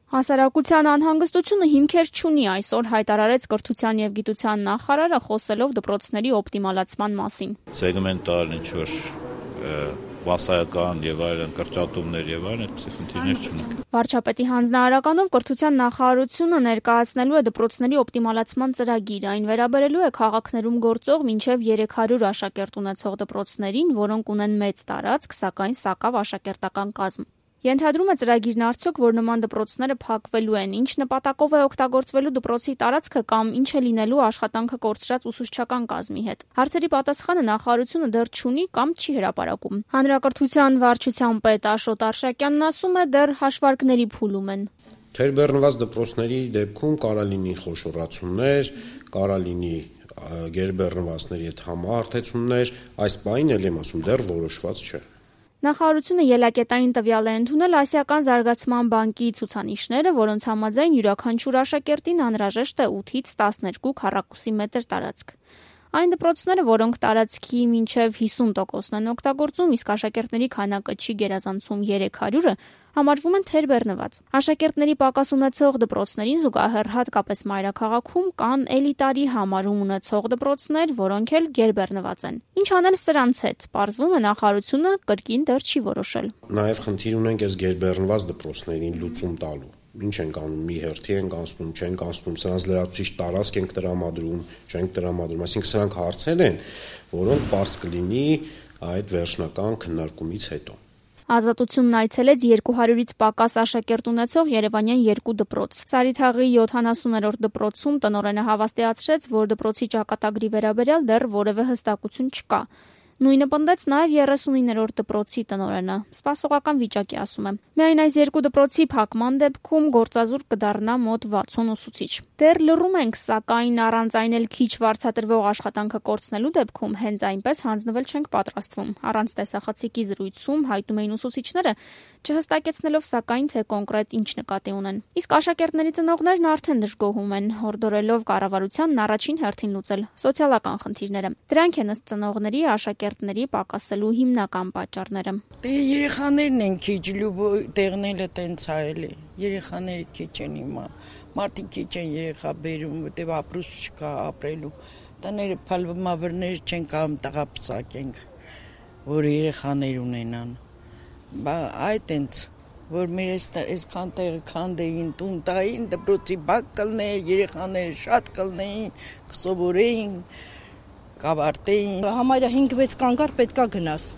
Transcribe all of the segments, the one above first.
Հասարակության անհանգստությունը հիմքեր չունի, այսօր հայտարարեց Կրթության եւ գիտության նախարարը, խոսելով դպրոցների օպտիմալացման մասին։ Սեգմենտալ ինչ-որ բասայական եւ այլն կրճատումներ եւ այլն այդպիսի խնդիրներ չունենք։ Վարչապետի հանձնարարականով Կրթության նախարարությունը ներկայացնելու է դպրոցների օպտիմալացման ծրագիր, այն վերաբերելու է քաղաքներում գործող մինչև 300 աշակերտ ունեցող դպրոցներին, որոնք ունեն մեծ տարածք, սակայն սակավ աշակերտական կազմ։ Ենթադրում է ծրագիրն արդյոք, որ նման դպրոցները փակվելու են, ինչ նպատակով է օգտագործվելու դպրոցի տարածքը կամ ինչ է լինելու աշխատանքը կորցրած ուսուցչական կազմի հետ։ Հարցերի պատասխանը նախարարությունը դեռ չունի կամ չի հրապարակում։ Հանրակրթության վարչության պետ Աշոտ Արշակյանն ասում է, դեռ հաշվարկների փուլում են։ Թերբեռնված դպրոցների դեպքում կարա լինի խոշորացումներ, կարա լինի գերբեռնվածների հետ համահարթեցումներ, այս բանին էլ եմ ասում, դեռ որոշված չէ։ Նախարարությունը ելակետային տվյալ է ընդունել Ասիական զարգացման բանկի ցուցանիշները, որոնց համաձայն յուրաքանչյուր աշակերտին անհրաժեշտ է 8-ից 12 քառակուսի մետր տարածք։ Այն դպրոցները, որոնք տարածքի մինչև 50%-ն են օգտագործում, իսկ աշակերտների քանակը չի գերազանցում 300-ը, համարվում են թերբեռնված։ Աշակերտների պակաս ունեցող դպրոցներին զուգահեռ հատկապես մայրաքաղաքում կան էլիտարի համարում ունեցող դպրոցներ, որոնք էլ գերբեռնված են։ Ինչ անել սրանց հետ, պարզվում է նախարարությունը կրկին դեռ չի որոշել։ Նաև խնդիր ունենք այս գերբեռնված դպրոցներին լուծում տալու։ Ինչ ենք անում, մի հերթի ենք անցնում, չենք անցնում, սրանց լրացուցիչ տարածք ենք տրամադրում, չենք տրամադրում, այսինքն սրանք հարցեր են, որոնք պարզ կլինի այդ վերջնական քննարկումից հետո։ Ազատությունն այցելեց 200-ից պակաս աշակերտ ունեցող երևանյան 2 դպրոց։ Սարիթաղի 70-րդ դպրոցում տնօրենը հավաստիացրեց, որ դպրոցի ճակատագրի վերաբերյալ դեռ որևէ հստակություն չկա։ Նույնը պնդեց նաև 39-րդ դպրոցի տնօրենը։ Սպասողական վիճակի ասում է։ Միայն այս 2 դպրոցի փակման դեպքում գործազուրկ կդառնա մոտ 60 ուսուցիչ։ Դեռ լռում ենք, սակայն առանց այն էլ քիչ վարձատրվող աշխատանքը կորցնելու դեպքում հենց այնպես հանձնվել չենք պատրաստվում։ Առանց տեսախցիկի զրույցում հայտնում էին ուսուցիչները, չհստակեցնելով սակայն թե կոնկրետ ինչ նկատի ունեն։ Իսկ աշակերտների ծնողներն արդեն դժգոհում են, հորդորելով կառավարությանն առաջին հերթին լուծել սոցիալական խնդիրները։ Դրանք են ըստ ծնողների աշակերտների պակասելու հիմնական պատճառները։ Երեխաներն են քիչ, տեղները տենց է էլի։ Երեխաները քիչ են հիմա։ Մարդիկ քիչ են երեխա բերում, որտեղ ապրուս չկա ապրելու։ Տները փալվմավրներ չեն կարող տղապսակենք, որ երեխաներ ունենան։ Այդ տենց, որ մեր այսքան տեղը քանդեին, տուն տային, դպրոցի բակ կլներ, երեխաները շատ կլնեին, կսովորեին, կավարտեին։ Համարյա 5-6 կանգար պետքա գնաս։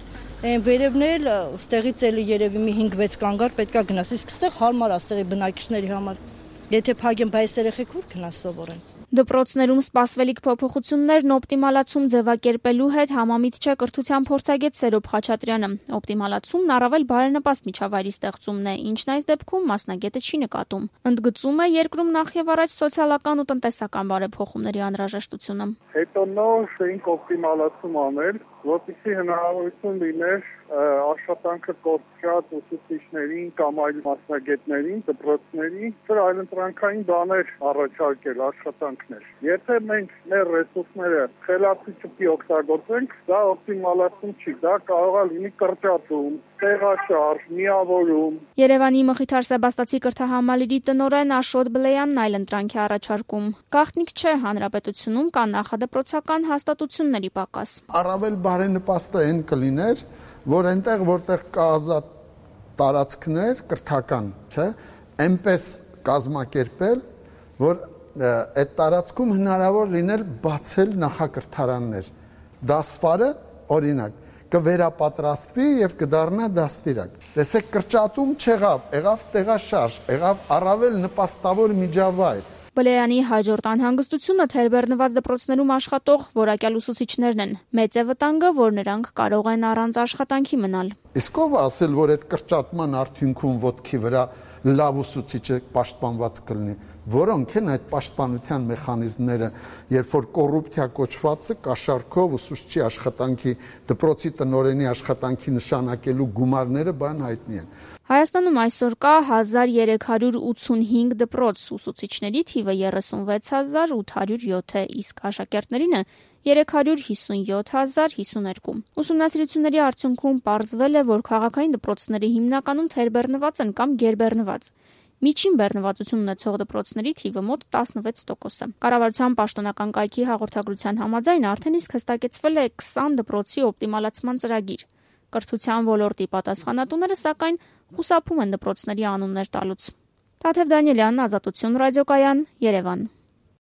Այն վերևնել, ստեղից էլի երևի մի 5-6 կանգար պետքա գնաս, իսկ ստեղ հարմար է ստեղի բնակիչների համար։ Եթե փագեն բայց երեխեք ուր գնաս սովորեն։ Դպրոցներում սպասվելիք փոփոխություններն օպտիմալացում ձևակերպելու հետ համամիտ չէ կրթության փորձագետ Սերոբ Խաչատրյանը։ Օպտիմալացումն առավել բարենպաստ միջավայրի ստեղծումն է, ինչն այս դեպքում մասնագետը չի նկատում։ Ընդգծում է երկրում նախ եւ առաջ սոցիալական ու տնտեսական բարեփոխումների անհրաժեշտությունը։ Հետո նոր շենք օպտիմալացում անել, որպեսզի հնարավորություն լիներ աշխատանքը կորցրած ուսուցիչներին կամ այլ մասնագետներին, դպրոցներին, այլընտրանքային բաներ առաջարկել, աշխատանքներ։ Եթե մենք մեր ռեսուրսները խելացի չպի օգտագործենք, դա օպտիմալացում չի, դա կարող է լինի կրճատում, տեղաշարժ, միավորում։ Երևանի Մխիթար Սեբաստացի կրթահամալիրի տնօրեն Աշոտ Բլեյանն այլընտրանք է առաջարկում։ Գաղտնիք չէ, հանրապետությունում կա նախադպրոցական հաստատությունների պակաս։ Առավել բարենպաստը այն կլիներ, որ այնտեղ որտեղ կա ազատ տարածքներ կրթական, չէ, այնպես կազմակերպել, որ այդ տարածքում հնարավոր լիներ բացել նախակրթարաններ։ Դասվարը, օրինակ, կվերապատրաստվի եւ կդառնա դաստիարակ։ Տեսեք, կրճատում չեղավ, եղավ տեղաշարժ, եղավ առավել նպաստավոր միջավայր։ Բլեյանի հաջորդ անհանգստությունը թերբեռնված դպրոցներում աշխատող որակյալ ուսուցիչներն են։ Մեծ է վտանգը, որ նրանք կարող են առանց աշխատանքի մնալ։ Իսկ ով ասել, որ այդ կրճատման արդյունքում ոտքի վրա լավ ուսուցիչը պաշտպանված կլինի։ Որոնք են այդ պաշտպանության մեխանիզմները, երբ որ կոռուպցիա կոչվածը կաշառքով ուսուցչի աշխատանքի, դպրոցի տնօրենի աշխատանքի նշանակելու գումարները բան հայտնի են։ Հայաստանում այսօր կա 1385 դպրոց, ուսուցիչների թիվը 36807 է, իսկ աշակերտներինը 357052։ Ուսումնասիրությունների արդյունքում պարզվել է, որ քաղաքային դպրոցները հիմնականում թերբեռնված են կամ գերբեռնված։ Միջին բեռնվածություն ունեցող դպրոցների թիվը մոտ 16%։ Կառավարության պաշտոնական կայքի հաղորդագրության համաձայն արդեն իսկ հստակեցվել է 20 դպրոցի օպտիմալացման ծրագիր։ Կրթության ոլորտի պատասխանատուները սակայն խուսափում են դպրոցների անուններ տալուց։ Թաթև Դանիելյան, Ազատություն ռադիոկայան, Երևան։